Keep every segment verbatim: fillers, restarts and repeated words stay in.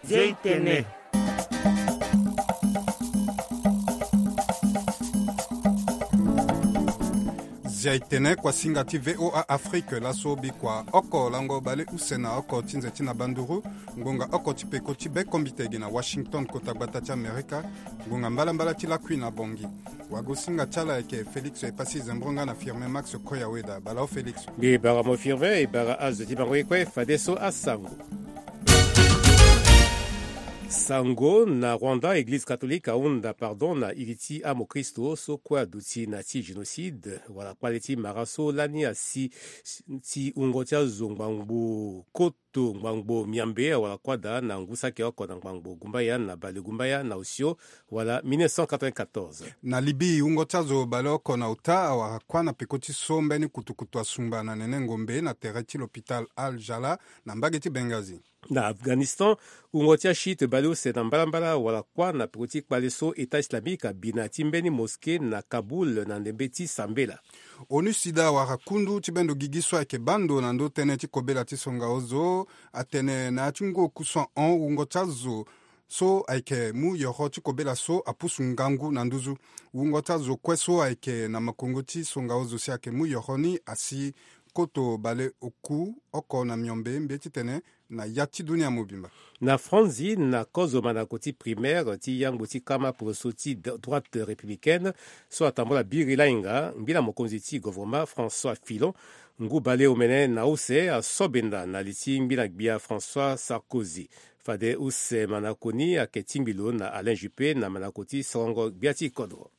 Zia itene. Zia itene, kuasinga ti V O A Afrique, laso bikua oko lango baleuse na oko ti nze ti na banduru, ngonga oko ti peko ti be kombite gi na Washington, kota gbata ti Amerika, ngonga mbalambala ti lakui na Bangui. Wagosinga ti ala ayeke Félix Epassi Zembronga na Firmin Max Koyaweda. Bala o Félix. Mbi bara mo Firmin, e bara azo ti bango ye kue, fadeso asango. Sango na Rwanda, Eglize catholique ahunda pardon na iri ti amokristo so kue aduti na ti génocide wala kpale ti mara so lani asi ti wungo ti azo ngbangbo koto ngbangbo miambe wala kuâ daa na ngu saki oko na ngbangbo gumbaya na bale gumbaya na osio wala mille neuf cent quatre-vingt-quatorze. Na Libye, wungo ti azo baleoko na ota awara kuâ na peko ti so mbeni kutukutu asumba na nene ngombe na tere ti l'hôpital Al Jala na mbage ti Benghazi. Na Afghanistan, wungo ti achiite baleuse na mbalambala wala kuâ na peko ti kpale so État islamique abi na ya ti mbeni mosquée na Kaboul na ndembe ti sambela. ONUSIDA awara kundu ti bendo gigi so ayeke baa ndo na ndö tënë ti kobela ti songa ozo, atene na ya ti ngu oku so ahon, wungo ti azo so ayeke mu yoro ti kobela so apusu ngangu na nduzu. Wungo ti azo kue so ayeke na makongo ti songa ozo si ayeke mu yoro ni asi koto baleoku oko na miombe mbie titene na ya ti dunia mobimba. Na Franzi, na kozo mandako ti primaire ti yangbo ti kama poroso ti d-, droite républicaine so atambula biri lainga, ngbila mokonzi ti gouvernement François Fillon, ngu baleomene na use aso benda na li ti ngbila gbia François Sarkozy. Fade use mandako ni ayeke tingbi lo na Alain Juppé na mandako ti sorongo gbia ti kodro.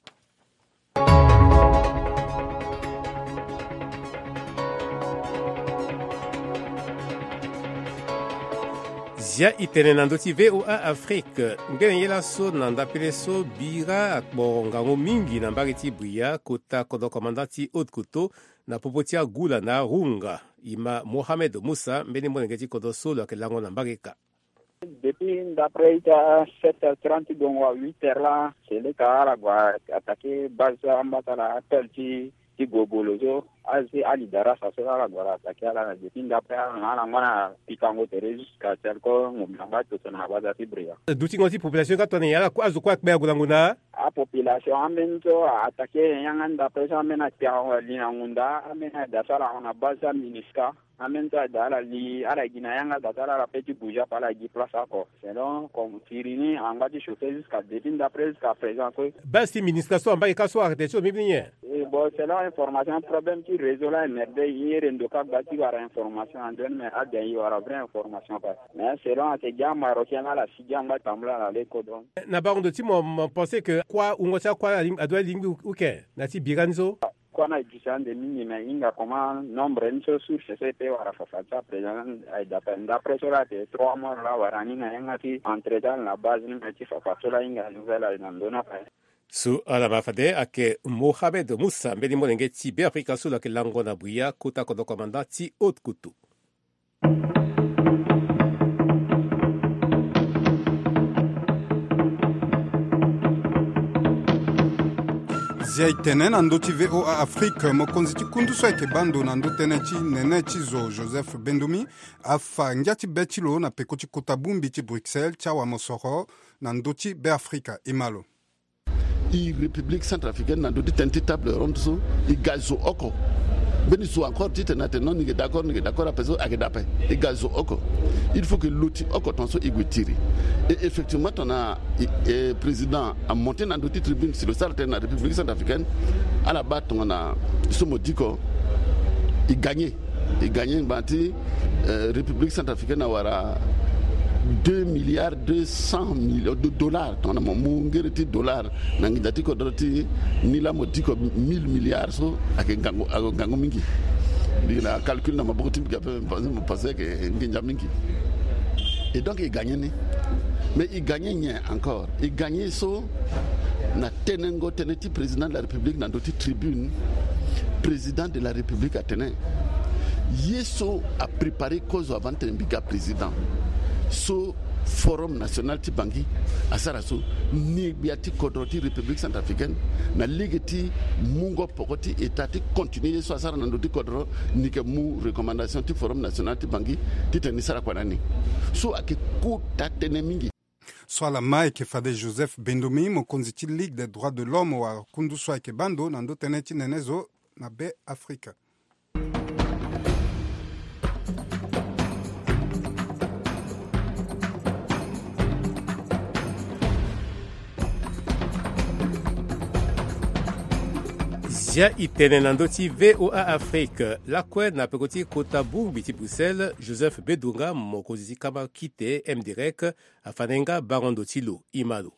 Zia itene na ndö ti V O A Afrique. Ngbene ye laso na ndapele so bira akporo ngangu mingi na mbage ti Bria, kota kodro commandant ti Haute-Kotto, na popo ti agula na arunga. Ima Mohamed Moussa, mbeni molenge ti kodro so lo yeke lango na mbage ka. Depuis ndapre ita sept heures trente gongo à huit heures la, seleka ala gue attaqué base ambata la appel ti, ti gogolo so, azi ali darasa so ala gue ala attaqué ala na depuis ndapre ala na ala ngba na pikango tere jusqu'à telko ngombe na ngba toto na baza ti Bria. Dutingo ti population ka tongana nyen, ala ku-, azo kue akpe ague na ngonda? Apopulation ambeni so a attaqué yanga ndapre so ambeni akpe ague ali na ngonda, ambeni aye da so ala hon na base ti MINUSCA. Ambeni so aye da ala li, ala gi na yanga da so ala, ala pe ti bouger ape, ala gi place oko. Selon comme firi ni angba ti chauffer jusqu'à depuis ndapre jusqu'à présent kue. Base ti MINUSCA so ambeni ka so arrêté ti lo mbi ni nyen? Eh, bon, selon information, problème ti réseau la émerdé, i ere ndo ka gba ti wara information ande ni, mais aden i wara vraie information kue. Mais selon ayeke gi amarocain la, ala si gi angba tambula na le kodro. Na bango ndo ti mo, mo pensé que kua, wungo ti akua ala lingbi, adoit lingbi ou, ou ken na ti bira ni so? Kua na e duti ande mingi, mais e hinga comment nombre ni so, source so e pe wara fafa ti ape. Aye da ape ndapre so la ayeke trois mois la wara ni na yanga ti entretien na base ni, mais ti fafa so la e hinga nouvelle aye na ndö ni ape. So ala ma fade ayeke Mohamed Moussa, mbeni molenge ti Beafrika so lo yeke lango na Bria, kota kodro commandant ti Haute-Kotto. Zia e tene na ndö ti V O A Afrique, mokonzi ti kundu so ayeke baa ndo na ndö tënë ti nene ti zo Joseph Bendoumi afa ngia ti be ti lo na peko ti kota bongbi ti Bruxelles ti awamosoro na ndö ti Beafrika. E ma lo. E République centrafricaine na ndö ti tënë ti table ronde so, e ga zo oko. Mbeni zo encore titene atene non, ni yeke d'accord, ni yeke d'accord ape so, ayeke daa ape. E ga zo oko. Il faut que lo ti oko tongana so e gue tiri. Et effectivement, tongana e, e président amonté na ndö ti tribune si lo sara tënë na République centrafricaine, ala baa tongana so mo diko, e gagné. E gagné ngbanga ti, euh, République centrafricaine awara deux milliards deux cents millions de dollars. Tongana mo mu ngere ti dollar na nginza ti kodro ti ni la, mo diko mille milliards so, ayeke ngangu, ayeke ngangu mingi. Mbi na calcul na maboko ti mbi ape, mo pensé, mo pensé ayeke nginza mingi. Et donc e gagné ni. Mais e gagné nyen encore? E gagné so na tenengo tënë ti président de la République na ndö ti tribune, président de la République atene ye so apréparé kozo avant titene mbi ga président so, Forum national ti Bangui asara so, ni gbia ti kodro ti République centrafricaine, na lege ti mungo poko ti État ti continuer ye so asara na ndö ti kodro, ni yeke mu recommandation ti Forum national ti Bangui titene ni sara kua na ni. So ayeke kota tënë mingi. So ala ma ayeke fade Joseph Bendomi, mokonzi ti Ligue des droits de l'homme, wala kundu so ayeke baa ndo na ndö tënë ti nene zo na Be Afrika. Zia e tene na ndö ti V O A Afrique, lakue na peko ti kota bongbi ti Bruxelles, Joseph Bedunga, mokonzi ti kama kite M D R E C, afa na ye nga bango ndo ti lo. E ma lo.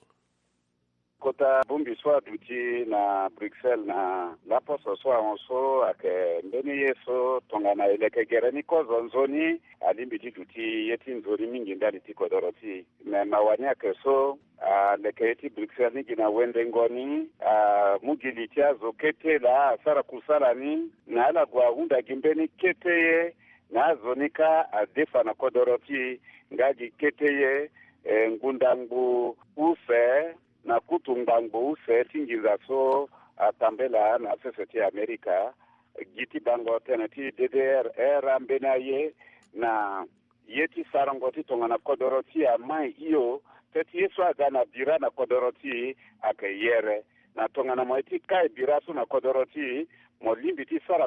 Kota bongbi so aduti na Bruxelles na laposo so ahon so ayeke mbeni ye so tongana e leke gere ni kozo nzoni, alingbi ti duti ye ti nzoni mingi ndali ti kodoro ti e. Me mawa ni ayeke so, aleke ye ti Bruxelles ni gi na wendengo ni, amu gi li ti azo kete laa asara kusala ni, na ala gue ahunda gi mbeni kete ye, na azo ni kâ adefa na kodoro ti e nga gi kete ye, eh, ngbunda ngbu use, na kutu ngbangbo use ti nginza so atambela na sese ti Amerika, gi ti bango tënë ti D D R R ambeni aye na ye ti sarango ti tongana kodoro ti e amai hio, peut-être ye so aga na bira na kodoro ti e ayeke yere. Na tongana mo ye ti kai bira so na kodoro ti e, mo lingbi ti sara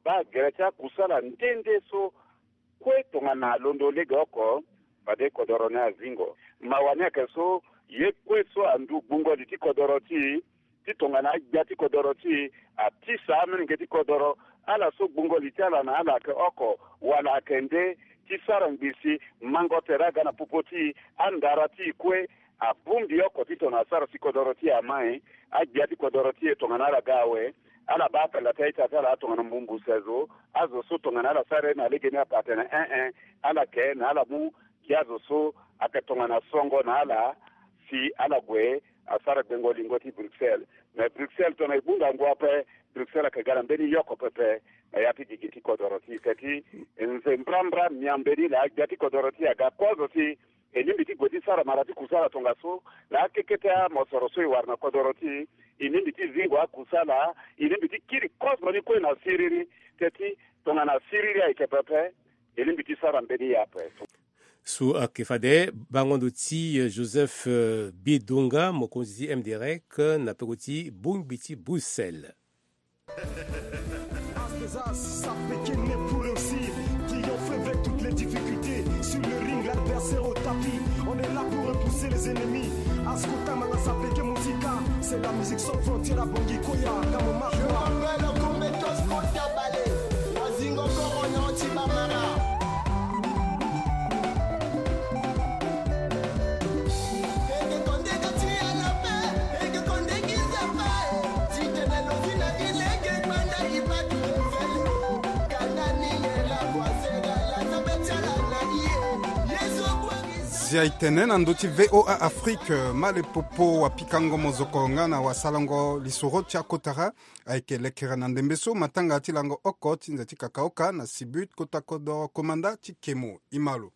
baa gere ti akusala nde nde so kue tongana alondo lege oko, fade kodoro ni azingo. Mawa ni ayeke so, ye kue so andu gbungo li ti kodoro ti e, ti tongana agbia ti kodoro ti e atisa amolenge ti kodoro, ala so gbungo li ti ala na ala ayeke oko wala ayeke nde, ti sara ngbii si mango tere aga na popo ti e, andara ti e kue, abongbi oko ti tongana asara si kodoro ti e amai. Agbia ti kodoro ti e tongana ala ga awe, ala baa apela ti a-ita ti ala tongana mbumbu se zo, azo so tongana ala sara ye na legeni ape atene en-en, ala ke na ala mu gi azo so ayeke tongana songo na ala, si ala gue asara gbengo lingo ti Bruxelles. Me Bruxelles tongana e gbunga ngu ape, Bruxelles ayeke ga na mbeni yoko pepe na ya ti gigi ti kodoro ti e. Teti nze mbrambra miambe ni laa gbia ti kodoro ti e aga kozo ti e lingbi ti gue ti sara mara ti kusala tongaso na akekete amosoro so e wara na kodoro ti e. E lingbi ti zingo akusala, e lingbi ti kiri kozo ni kue na siriri. Teti tongana siriri ayeke pepe, e lingbi ti sara mbeni ye ape. So ayeke fade bango ndo ti, eh, Joseph, eh, Bidonga, mokonzi ti M D R E C, na peko ti bongbi ti Bruxelles. As des as, ça fait qu'il n'est pour réussir. Triompher avec toutes les difficultés. Sur le ring, l'adversaire au tapis. On est là pour repousser les ennemis. Ascolta manga sapeke musica. C'est la musique sans frontières à Bangui Koya, Kamo Makwa. Je m'appelle Kometos Kotabale. Wazingo Korono Chibamara. Zia e tene na ndö ti V O A Afrique, Malepopo wapikango mozoko nga na wasalango lisoro ti akotara. Ayeke lekere na ndembe so matanga ti lango oko ti nze ti kakaoka na Sibut kota kodoro komanda ti Kemo. E ma lo.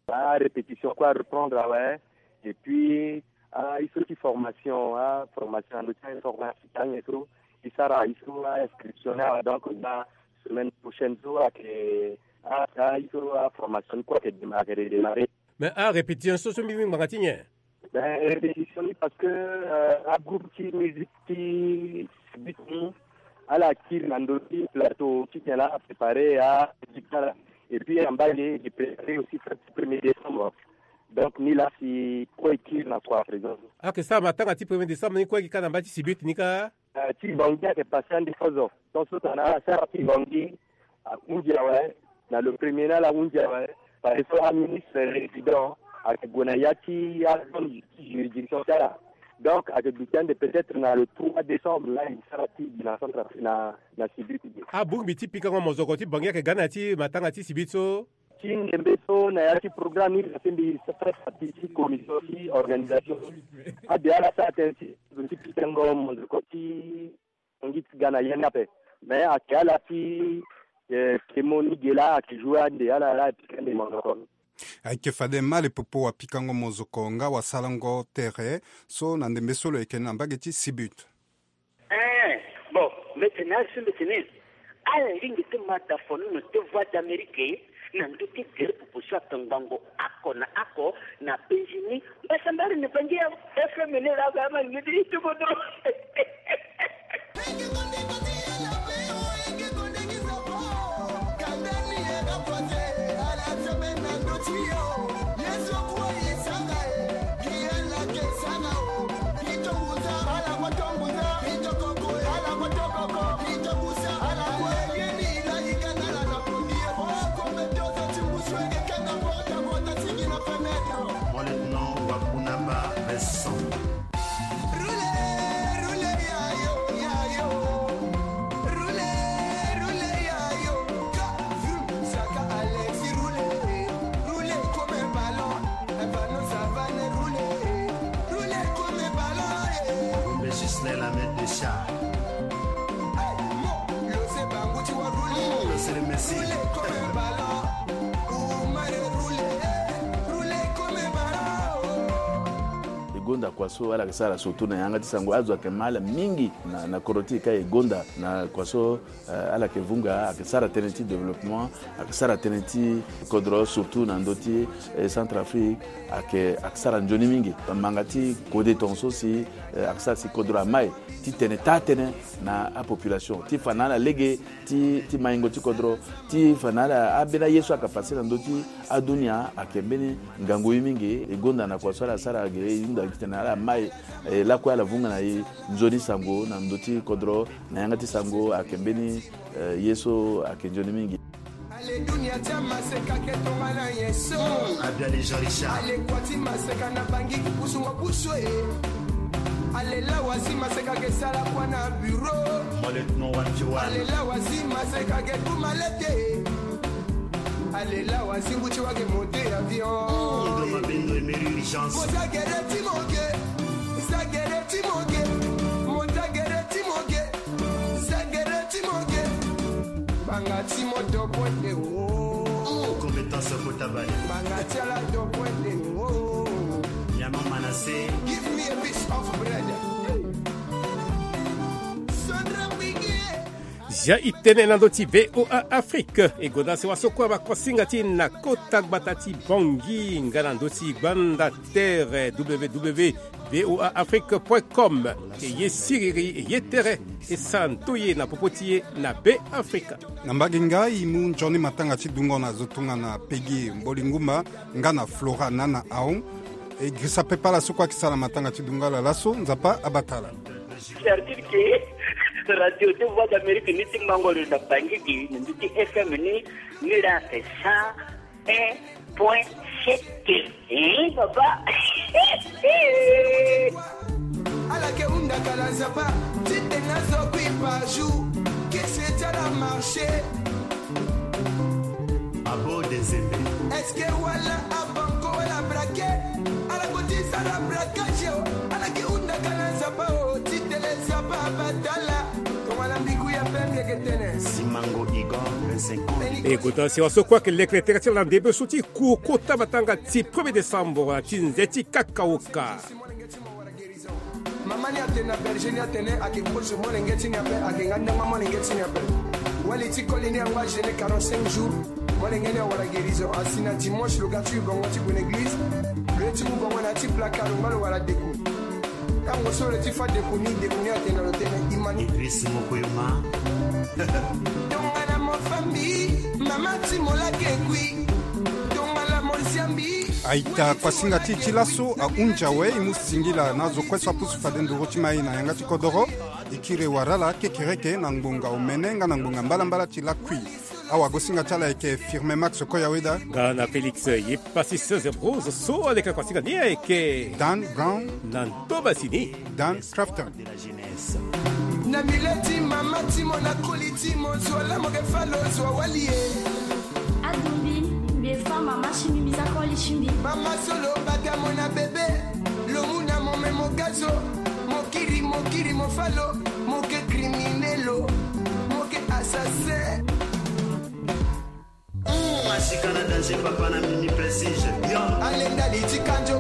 Arépétition kue areprendre awe. Et puis, ah, il faut ti formation, ah, formation na ndö ti informatique ayen so e sara, il faut, ah, inscription ni awe. Donc na semaine prochaine so ayeke, ah, ah, il faut, ah, formation ni kue ayeke démarrer, redémarrer. Mais arépétition so so mbi mu ngbanga ti nyen? Ben, répétition ni parce que, euh, agroupe ti musique ti Sibut ni, ala kiri na ndö ti plateau ti tene la apréparer a musique ti ala. Et puis na mbage e préparer aussi fête ti premier décembre. Donc ni la si kue e kiri na kua présent. Ayeke sara matanga ti premier décembre ni kue e gi kâ na mbage ti Sibut ni kâ. Eh, ti Bangui ayeke passé ande kozo. Donc so tongana ala sara ti Bangui ahunzi awe, na le premier ni ala hunzi awe. Parce que so aministre résident ayeke gue na ya ti azone ti juridiction ti ala. Donc ayeke duti ande peut-être na le trois décembre la e sara ti gi na centre na, na Sibut ti gi. Abongbi ti pikango mozoko ti Bangui ayeke ga na ya ti matanga ti Sibut so. Ti ndembe so na ya ti programme ni la si mbi sara partie ti commission ti organisation. Ade ala sara tënë ti zo ti pikango mozoko ti Bangui ti ga na ya ni ape. Mais ayeke ala ti, eh, Kemo ni ge la ayeke jouer ande ala la e pika ande mozoko ni. Ayeke fade ma le popo wapikango mozoko nga wasalango tere so na ndembe so lo yeke na mbage ti Sibut. Eh, bon, mbetene asi mbetene. Ala lingbi ti ma da fonono ti Voix d'Amérique na ndö ti gere popo so atongbango oko na oko na Benjini. Mbasambari na bangi ya F M ne la ga ma ni ti tubo dro. Mon lieutenant Wakunaba Vincent. Gombe Gislain, la main de chat. Lo sere Messi. E gonda kua so ala yeke sara surtout na yanga ti sango, azo ayeke ma ala mingi na, na kodro ti e ka e gonda na kua so, eh, ala yeke vunga, ayeke sara tënë ti développement, ayeke sara tënë ti kodro surtout na ndö ti, eh, Centrafrique, ayeke, ayeke sara nzoni mingi. Manga ti kode tongaso si, eh, ayeke sara si kodro amai ti tene taa tënë na apopulation ti fa na ala lege ti, ti maingo ti kodro, ti fa na ala ambeni aye so ayeke pase na ndö ti adunia ayeke mbeni ngangu ye mingi. E gonda na kua so ala sara ge, e hunda gi tene ala mai, eh, lakue ala vunga na e nzoni sango na ndö ti kodro na yanga ti sango ayeke mbeni, eh, ye so ayeke nzoni mingi. Ale dunia ti amaseka ke tongana nyen so? Abiali Jean Richard. Ale kua ti maseka na bangi kukusungo kusu e. Ale lawa si maseka ke sara kua na bureau. Mon lieutenant Wanti Wan. Ale lawa si maseka ke kuma lete. Ale lawa si ngu ti wa ke monte avion. Ndo mabendo emery urgence. Mo za gere ti mo ke. Za gere ti mo ke. Mo za gere ti mo ke. Za gere ti mo ke. Banga ti mo dopo nde wo. Compétence kota bale. Banga ti ala dopo nde wo. Nyama Manassé. Give me a piece of bread. Sandra Bigué. Zia i tene na ndö ti V O A Afrique. E gonda si waso kue abakosinga ti na kota gbata ti Bangui nga na ndö ti gbanda tere W W W V O A Afrique point com. E ye siriri, e ye tere, e sara ndoye na popo ti e na Be Afrika. Na mbage nga e mu nzoni matanga ti dungo na zo tongana Pegi Mboli Ngumba nga na Flora Nana Aon. E girisa pepe ala so kue ayeke sara matanga ti dungo ala laso, Nzapa abata ala. C'est-à-dire que Radio de Voix d'Amérique ni ti mango lo na Bangui gi, ni ti F M ni, ni la ke cent un point sept. Eh, baba. Ala ke hunda kala Nzapa, ti tena zo kui par jour, que c'est déjà la marché. Abo Dezembe. Est-ce que wala abanko wala braquet? Ala ko ti sara braquage o. Ala ke hunda kala Nzapa o, ti tele Nzapa abatala. Tongana mbiku ya pembe ke tene. Simango Igor, vingt-cinq ans. E kota si waso kue ayeke lekere tere ti ala na ndembe so ti ku kota matanga ti premier décembre ti nze ti kakaoka. Mama ni atene na berger ni atene ayeke kozo molenge ti ni ape, ayeke nga ndangba molenge ti ni ape. Wali ti koli ni angba jeûne quarante-cinq jours. Molenge ni awara guérison. Asi na dimanche lo ga ti yu bongo ti gue na église. Lo ye ti mu bongo na ya ti placard lo ngba lo wara deku. Tango so lo ye ti fa deku ni, deku ni atene na lo tene imani. Idriss Mokoyoma. Tongana mo fambi, mama ti mo lake kui. Tongana mo siambi. Aita kuasinga ti e ti laso ahunzi awe, e mu singila na azo kue so apusu fade nduru ti mai na yanga ti kodoro. E kiri wara ala kekereke na ngbonga omene nga na ngbonga mbalambala ti lakui. Awagosinga ti ala ayeke Firme Max Koyaweda. Nga na Félix ye pasi seize Rose so aleka kuasinga ni ayeke Dan Brown. Na ntoba si ni Dan Crafton. Na mile ti mama ti mo na koli ti mo zo ala mo ke fa lo zo awali e. Adumbi mbi fa mama ti mbi mbi za koli ti mbi. Mama so lo bata mo na bebe, lo mu na mo me mo ga zo, mo kiri mo kiri mo fa lo, mo ke criminel o, mo ke assassin. Masika na danger, papa na mini prestige. Yo. Alenda li ti kanjo